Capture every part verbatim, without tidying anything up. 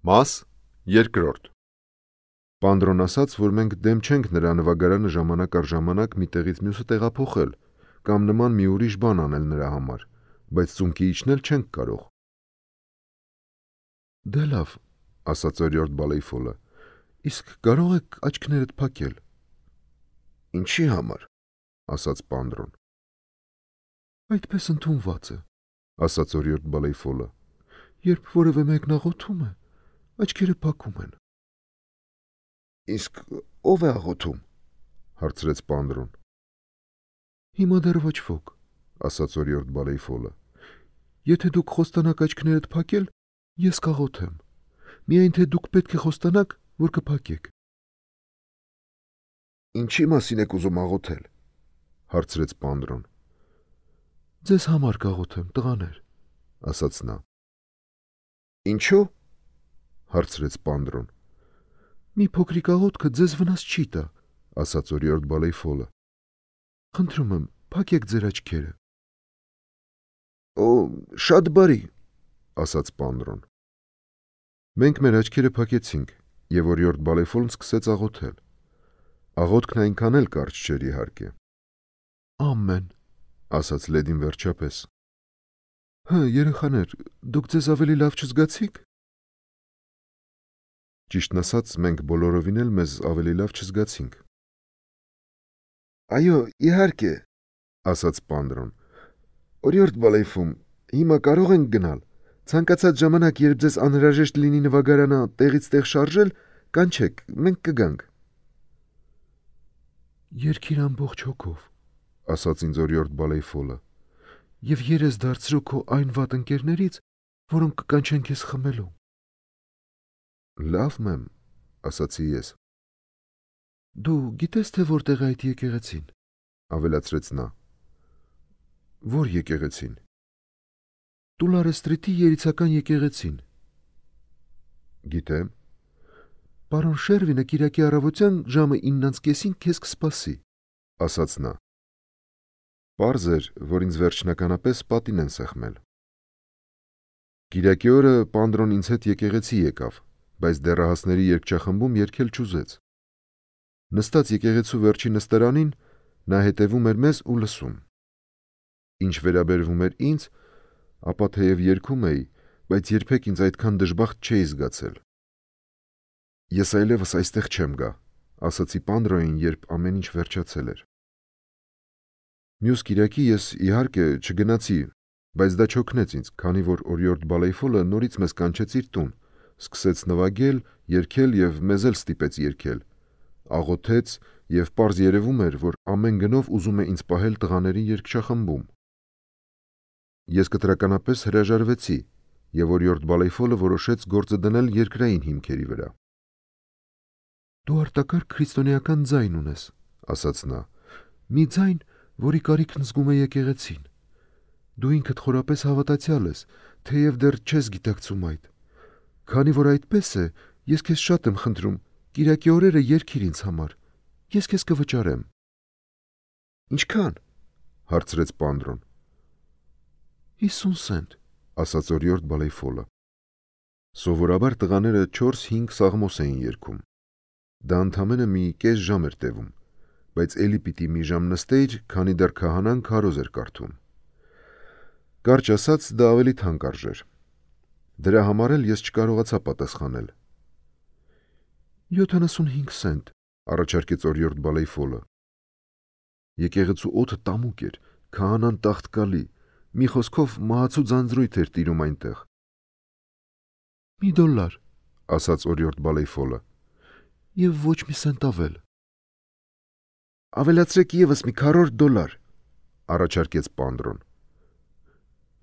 Մաս երկրորդ Պանդրոն ասաց, որ մենք դեմ չենք նրա նվագարանը ժամանակ առ ժամանակ մի տեղից մյուսը տեղափոխել կամ նման մի ուրիշ բան անել նրա համար, բայց ծունկի իջնել չենք կարող։ Դե լավ, ասաց օրիորդ Բալեյֆոլը, իսկ կարող եք աչքներդ փակել։ Ինչի համար, ասաց Պանդրոն։ Այդպես ընդունված է, ասաց օրիորդ Բալեյֆոլը, երբ որևէ մեկն աղոթում է, աչքերը փակում են։ Իսկ ով է աղոթում, հարցրեց Պանդրոն։ Հիմա դեռ ոչ ոք, ասաց օրիորդ Բալեյֆոլը, եթե դուք խոստանաք աչքներդ փակել, ես կաղոթեմ, միայն թե դուք պետք է խոստանաք, որ կփակեք։ Ինչի մասին եք ուզում աղոթել, հարցրեց Պանդրոն։ Ձեզ համար կաղոթեմ, տղաներ, ասաց նա։ Ինչու, հարցրեց Պանդրոն։ Մի փոքրիկ աղոթքը ձեզ վնաս չի տա, ասաց օրիորդ Բալեյֆոլը։ Խնդրում եմ, փակեք ձեր աչքերը։ Օ, շատ բարի, ասաց Պանդրոն։ Մենք մեր աչքերը փակեցինք, եւ օրիորդ Բալեյֆոլն սկսեց աղոթել։ Աղոթքն այնքան էլ կարճ չէր, իհարկե։ Ամեն, ասաց լեդին վերջապես։ Հը, երեխաներ, դուք ձեզ ավելի լավ չզգացիք։ Ճիշտն ասած, մենք բոլորովին էլ մեզ ավելի լավ չզգացինք։ Այո, իհարկե, ասաց Պանդրոն։ Օրիորդ Բալեյֆում, հիմա կարող ենք գնալ։ Ցանկացած ժամանակ, երբ ձեզ անհրաժեշտ լինի նվագարանը տեղից տեղ շարժել, կանչեք, մենք կգանք։ Երգիր ամբողջ հոգով, ասաց ինձ օրիորդ Բալեյֆոլը, եւ երես դարձրու քո այն վատ ընկերներից, որոնք կկանչեն քեզ խմելու։ Լավ, մեմ, ասացի ես։ Դու գիտես, թե որտեղ է այդ եկեղեցին, ավելացրեց նա։ Որ եկեղեցին։ Տուլարե ստրիթի երիցական եկեղեցին։ Գիտեմ։ Պարոն Շերվինը կիրակի առավոտյան ժամը իննից կեսին քեզ կսպասի, ասաց նա։ Պարզ էր, որ ինձ վերջնականապես պատին են սեղմել։ Կիրակի օրը Պանդրոն ինձ հետ եկեղեցի եկավ, բայց դեռահասների երգչախմբում երգել չուզեց։ Նստած եկեղեցու վերջի նստարանին, նա հետևում էր մեզ ու լսում։ Ինչ վերաբերվում էր ինձ, ապա թեև երգում էի, բայց երբեք ինձ այդքան դժբախտ չէի զգացել։ Ես այլևս այստեղ չեմ գա, ասացի Պանդրոյին, երբ ամեն ինչ վերջացել էր։ Մյուս կիրակի ես, իհարկե, չգնացի, բայց դա չօգնեց ինձ, քանի որ օրիորդ Բալեյֆոլը նորից մեզ կանչեց իր տուն, սկսեց նվագել, երգել եւ մեզ էլ ստիպեց երգել, աղոթեց եւ պարզ երևում էր, որ ամեն գնով ուզում է ինձ պահել տղաների երգչախմբում։ Ես կտրականապես հրաժարվեցի եւ օրիորդ Բալեյֆոլը որոշեց գործը դնել երկրային հիմքերի վրա։ Դու արտակարգ քրիստոնեական ձայն ունես, ասաց նա, մի ձայն, որի կարիքն զգում է եկեղեցին։ Դու ինքդ խորապես հավատացյալ ես, թեև դեռ չես գիտակցում այդ։ Քանի որ այդպես է, ես քեզ շատ եմ խնդրում, կիրակի օրերը երգիր ինձ համար, ես քեզ կվճարեմ։ Ինչքան, հարցրեց Պանդրոն։ հիսուն սենտ, ասաց օրիորդ Բալեյֆոլը։ Սովորաբար տղաները չորս-հինգ սաղմոս էին երգում։ Դա ընդամենը մի կես ժամ էր տևում, բայց էլի պիտի մի ժամ նստեիր, քանի դեռ քահանան քարոզ էր կարդում։ Կարճ ասած, դա ավելի թանկ արժեր։ Դրա համար էլ ես չկարողացա պատասխանել։ յոթանասունհինգ սենտ, առաջարկեց օրիորդ Բալեյֆոլը։ Եկեղեցու օդը տամուկ էր, քահանան տաղտկալի, մի խոսքով մահացու ձանձրույթ էր տիրում այնտեղ։ Մի դոլար, ասաց օրիորդ Բալեյֆոլը, եւ ոչ մի սենտ ավել։ Ավելացրեք եւս մի քառորդ դոլար, առաջարկեց Պանդրոն։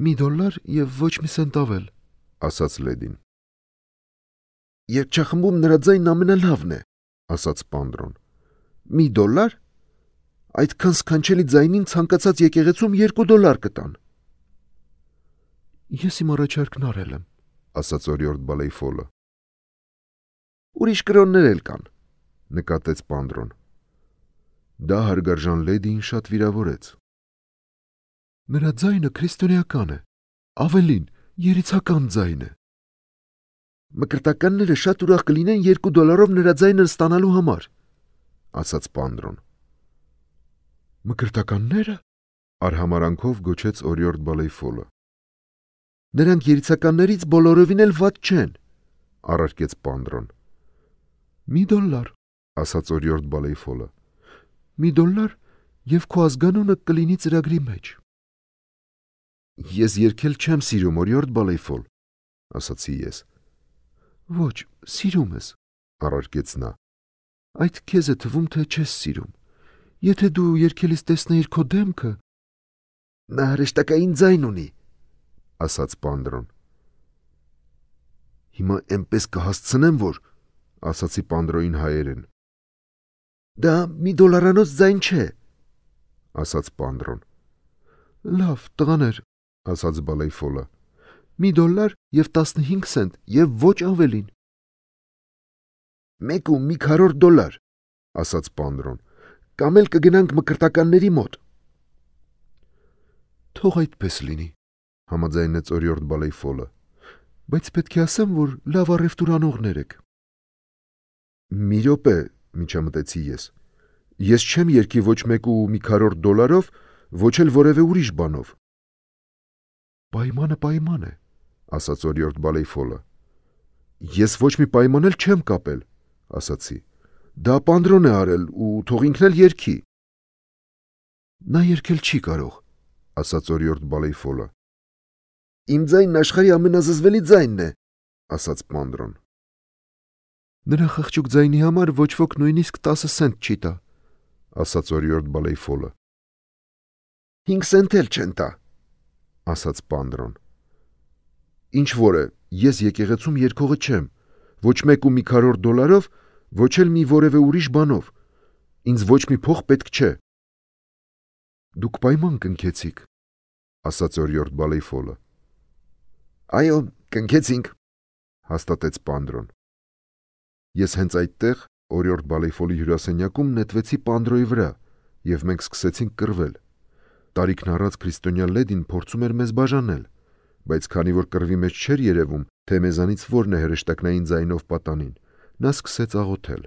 Մի դոլար եւ ոչ մի սենտ ավել, ասաց լեդին։ Երգչախմբում նրա ձայնն ամենալավն է, ասաց Պանդրոն։ Մի դոլար։ Այդքան սքանչելի ձայնին ցանկացած եկեղեցում երկու դոլար կտան։ Ես իմ առաջարկն արել եմ, ասաց օրիորդ Բալեյֆոլը։ Ուրիշ կրոններ էլ կան, նկատեց Պանդրոն։ Դա հարգարժան լեդիին շատ վիրավորեց։ Նրա ձայնը քրիստոնեական է, ավելին, երիցական ձայն է։ Մկրտականները շատ ուրախ կլինեն երկու դոլարով նրա ձայնը ստանալու համար, ասաց Պանդրոն։ Մկրտականները? Արհամարանքով գոչեց օրիորդ Բալեյֆոլը։ Նրանք երիցականներից բոլորովին էլ վատ չեն, առարկեց Պանդրոն։ Մի դոլար, ասաց օրիորդ Բալեյֆոլը։ Մի դոլար եւ քո ազգանունը կլինի ծրագրի մեջ։ Ես երգել չեմ սիրում, օրիորդ Բալեյֆոլ, ասացի ես։ Ոչ, սիրում ես, առարկեց նա։ Այդ քեզ է թվում, թե չես սիրում։ Եթե դու երգելիս տեսնեիր քո դեմքը… Նա հրեշտակային ձայն ունի, ասաց Պանդրոն։ Հիմա էնպես կհասցնեմ, որ… ասացի Պանդրոյին հայերեն։ Դա մի դոլարանոց ձայն չէ, ասաց Պանդրոն։ Լավ, տղաներ, ասաց Բալեյֆոլը։ Մի դոլար եւ տասնհինգ սենտ եւ ոչ ավելին։ Մեկ ու մի քառորդ դոլար, ասաց Պանդրոն, կամ էլ կգնանք մկրտականների մոտ։ Թող այդպես լինի, համաձայնեց օրիորդ Բալեյֆոլը, բայց պետք է ասեմ, որ լավ առևտուր անողներ եք։ Մի րոպե, միջամտեցի ես։ Ես չեմ երգի ոչ մեկ ու մի քառորդ դոլարով, ոչ էլ որևէ ուրիշ բանով։ Պայմանը պայման է, ասաց օրիորդ Բալեյֆոլը։ Ես ոչ մի պայման էլ չեմ կապել, ասացի։ Դա Պանդրոն է արել ու թող ինքն էլ երգի։ Նա երգել չի կարող, ասաց օրիորդ Բալեյֆոլը։ Իմ ձայնն աշխարհի ամենազզվելի ձայնն է, ասաց Պանդրոն։ Նրա խղճուկ ձայնի համար ոչ ոք նույնիսկ տասը սենտ չի տա, ասաց օրիորդ Բալեյֆոլը։ Հինգ սենտ էլ չեն տա, ասաց Պանդրոն։ Ինչ որ է, ես եկեղեցում երգողը չեմ, ոչ մեկ ու մի քառորդ դոլարով, ոչ էլ մի որևէ ուրիշ բանով։ Ինձ ոչ մի փող պետք չէ։ Դուք պայման կնքեցիք, ասաց օրիորդ Բալեյֆոլը։ Այո, կնքեցինք, հաստատեց Պանդրոն։ Ես հենց այդտեղ օրիորդ Բալեյֆոլի հյուրասենյակում նետվեցի Պանդրոյի վրա եւ մենք սկսեցինք կռվել։ Տարիքն առած քրիստոնյա լեդին փորձում էր մեզ բաժանել, բայց քանի որ կռվի մեջ չէր երևում, թե մեզանից որն է հրեշտակնային ձայնով պատանին, նա սկսեց աղոթել։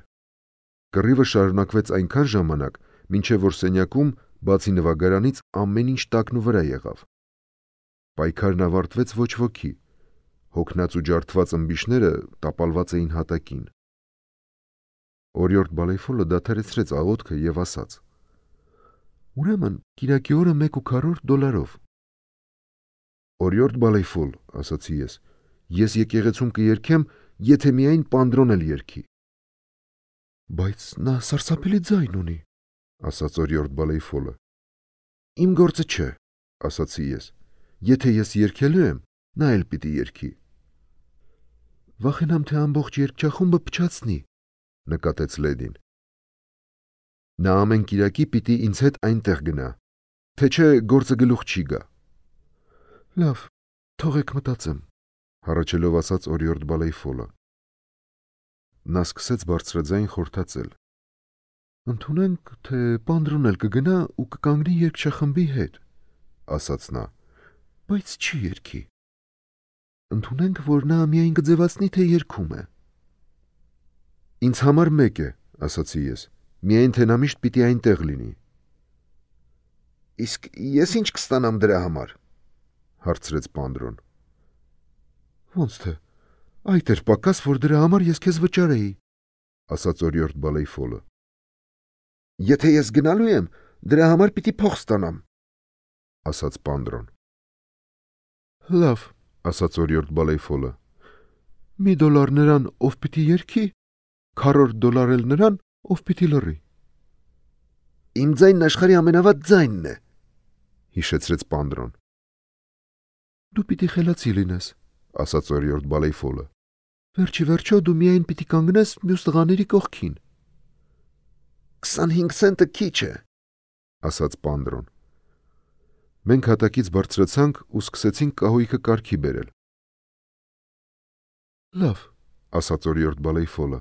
Կռիվը շարունակվեց այնքան ժամանակ, մինչև որ սենյակում, բացի նվագարանից, ամեն ինչ տակն ու վրա եղավ։ Պայքարն ավարտվեց ոչ ոքի։ Հոգնած ու ջարդված ըմբիշները տապալված էին հատակին։ Օրիորդ Բալեյֆոլը դադարեցրեց աղոթքը եւ ասաց. Ուրեմն կիրակի օրը մեկ ու քառորդ դոլարով։ Օրիորդ Բալեյֆոլ, ասացի ես, ես եկեղեցում կերգեմ, եթե միայն Պանդրոն էլ երգի։ Բայց նա սարսափելի ձայն ունի, ասաց օրիորդ Բալեյֆոլը։ Իմ գործը չէ, ասացի ես։ Եթե ես երգելու եմ, նա էլ պիտի երգի։ Վախենամ, թե ամբողջ երգչախումբը փչացնի, նկատեց լեդին։ Նա ամեն կիրակի պիտի ինձ հետ այնտեղ գնա, թե չէ գործը գլուխ չի գա։ Լավ, թողեք մտածեմ, հառաչելով ասաց օրիորդ Բալեյֆոլը։ Նա սկսեց բարձրաձայն խորհրդածել։ Ընդունենք, թե Պանդրոն էլ կգնա ու կկանգնի երգչախմբի հետ, ասաց նա, բայց չի երգի։ Ընդունենք, որ նա միայն կձևացնի, թե երգում է։ Ինձ համար մեկ է, ասացի ես, միայն թե նա միշտ պիտի այնտեղ լինի։ Իսկ ես ինչ կստանամ դրա համար, հարցրեց Պանդրոն։ Ոնց թե, այդ էր պակաս, որ դրա համար ես քեզ վճարեի, ասաց օրիորդ Բալեյֆոլը։ Եթե ես գնալու եմ, դրա համար պիտի փող ստանամ, ասաց Պանդրոն։ Լավ, ասաց օրիորդ Բալեյֆոլը։ Մի դոլար նրան, ով պիտի երգի, քառորդ դոլար էլ նրան, ով պիտի լռի։ Իմ ձայնն աշխարհի ամենավատ ձայնն է, հիշեցրեց Պանդրոն։ Դու պիտի խելացի լինես, ասաց օրիորդ Բալեյֆոլը։ Վերջի վերջո դու միայն պիտի կանգնես մյուս տղաների կողքին։ Քսանհինգ սենտը քիչ է, ասաց Պանդրոն։ Մենք հատակից բարձրացանք ու սկսեցինք կահույքը կարգի բերել։ Լավ, ասաց օրիորդ Բալեյֆոլը։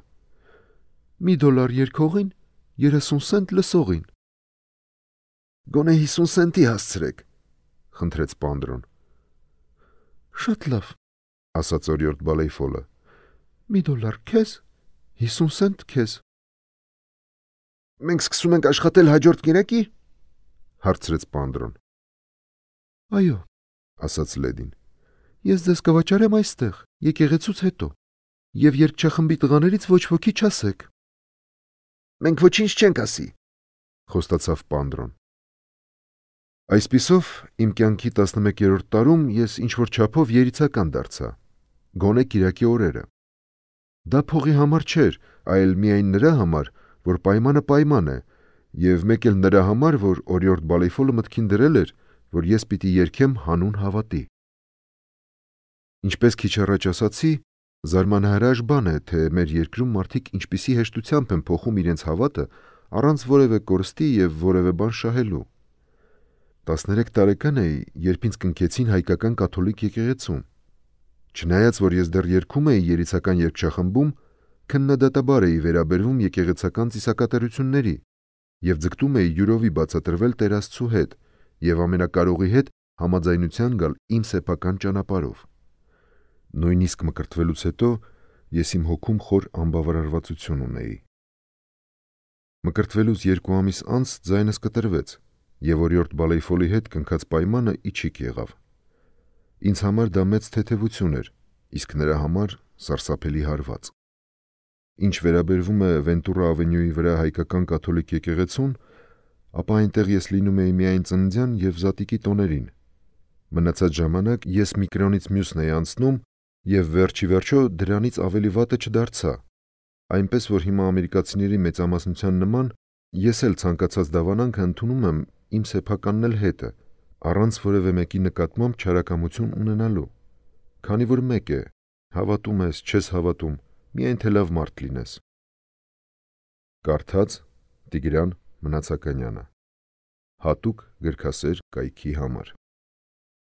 Մի դոլար երգողին, երեսուն սենտ լսողին։ Գոնե հիսուն սենտի հասցրեք, խնդրեց Պանդրոն։ Շատ լավ, ասաց օրիորդ Բալեյֆոլը։ Մի դոլար քեզ, հիսուն սենտ քեզ։ Մենք սկսում ենք աշխատել հաջորդ կիրակի, հարցրեց Պանդրոն։ Այո, ասաց Լեդին։ Ես ձեզ կվաճառեմ այստեղ, եկեղեցուց հետո, եւ երգչախմբի տղաներից ոչ ոքի չասեք։ Մենք ոչինչ չենք ասի, խոստացավ Պանդրոն։ Այսպիսով, իմ կյանքի տասնմեկերորդ տարում ես ինչ-որ չափով երիցական դարձա, գոնե կիրակի օրերը։ Դա փողի համար չէր, այլ միայն նրա համար, որ պայմանը պայման է, եւ մեկ էլ նրա համար, որ օրիորդ Բալեյֆոլը մտքին դրել էր, որ ես պիտի երգեմ հանուն հավատի։ Ինչպես քիչ առաջ ասացի, զարմանահրաշ բան է, թե մեր երկրում մարդիկ ինչպիսի հեշտությամբ են փոխում իրենց հավատը առանց որևէ կորստի եւ որևէ բան շահելու։ տասներեք տարեկան էի, երբ ինձ կնքեցին հայկական կաթոլիկ եկեղեցում։ Չնայած որ ես դեռ երգում էի երիցական երգչախմբում, քննադատաբար էի վերաբերվում եկեղեցական ծիսակատարությունների եւ ձգտում էի յուրովի բացատրվել Տեր Աստծու հետ եւ ամենակարողի հետ համաձայնության գալ իմ սեփական ճանապարհով։ Նույնիսկ մկրտվելուց հետո ես իմ հոգում խոր անբավարարվածություն ունեի։ Մկրտվելուց երկու ամիս անց ձայնս կտրվեց եւ օրիորդ Բալեյֆոլի հետ կնքած պայմանը իջիկ եղավ։ Ինձ համար դա մեծ թեթևություն էր, իսկ նրա համար սարսափելի հարված։ Ինչ վերաբերվում է Վենտուրա ավենյուի վրա հայկական կաթոլիկ եկեղեցուն, ապա այնտեղ ես լինում էի միայն ծննդյան եւ զատիկի տոներին։ Մնացած ժամանակ ես մի կրոնից մյուսն էի անցնում եւ վերջի վերջո դրանից ավելի վատը չդարձա, այնպես որ հիմա ամերիկացիների մեծամասնության նման ես էլ ցանկացած դավանանք ընդունում եմ իմ սեփականն էլ հետը, առանց որևէ մեկի նկատմամբ չարակամություն ունենալու, քանի որ մեկ է, հավատում ես, չես հավատում, միայն թե լավ մարդ լինես։ Կարդաց Տիգրան Մնացականյանը, հատուկ գրքասեր կայքի համար։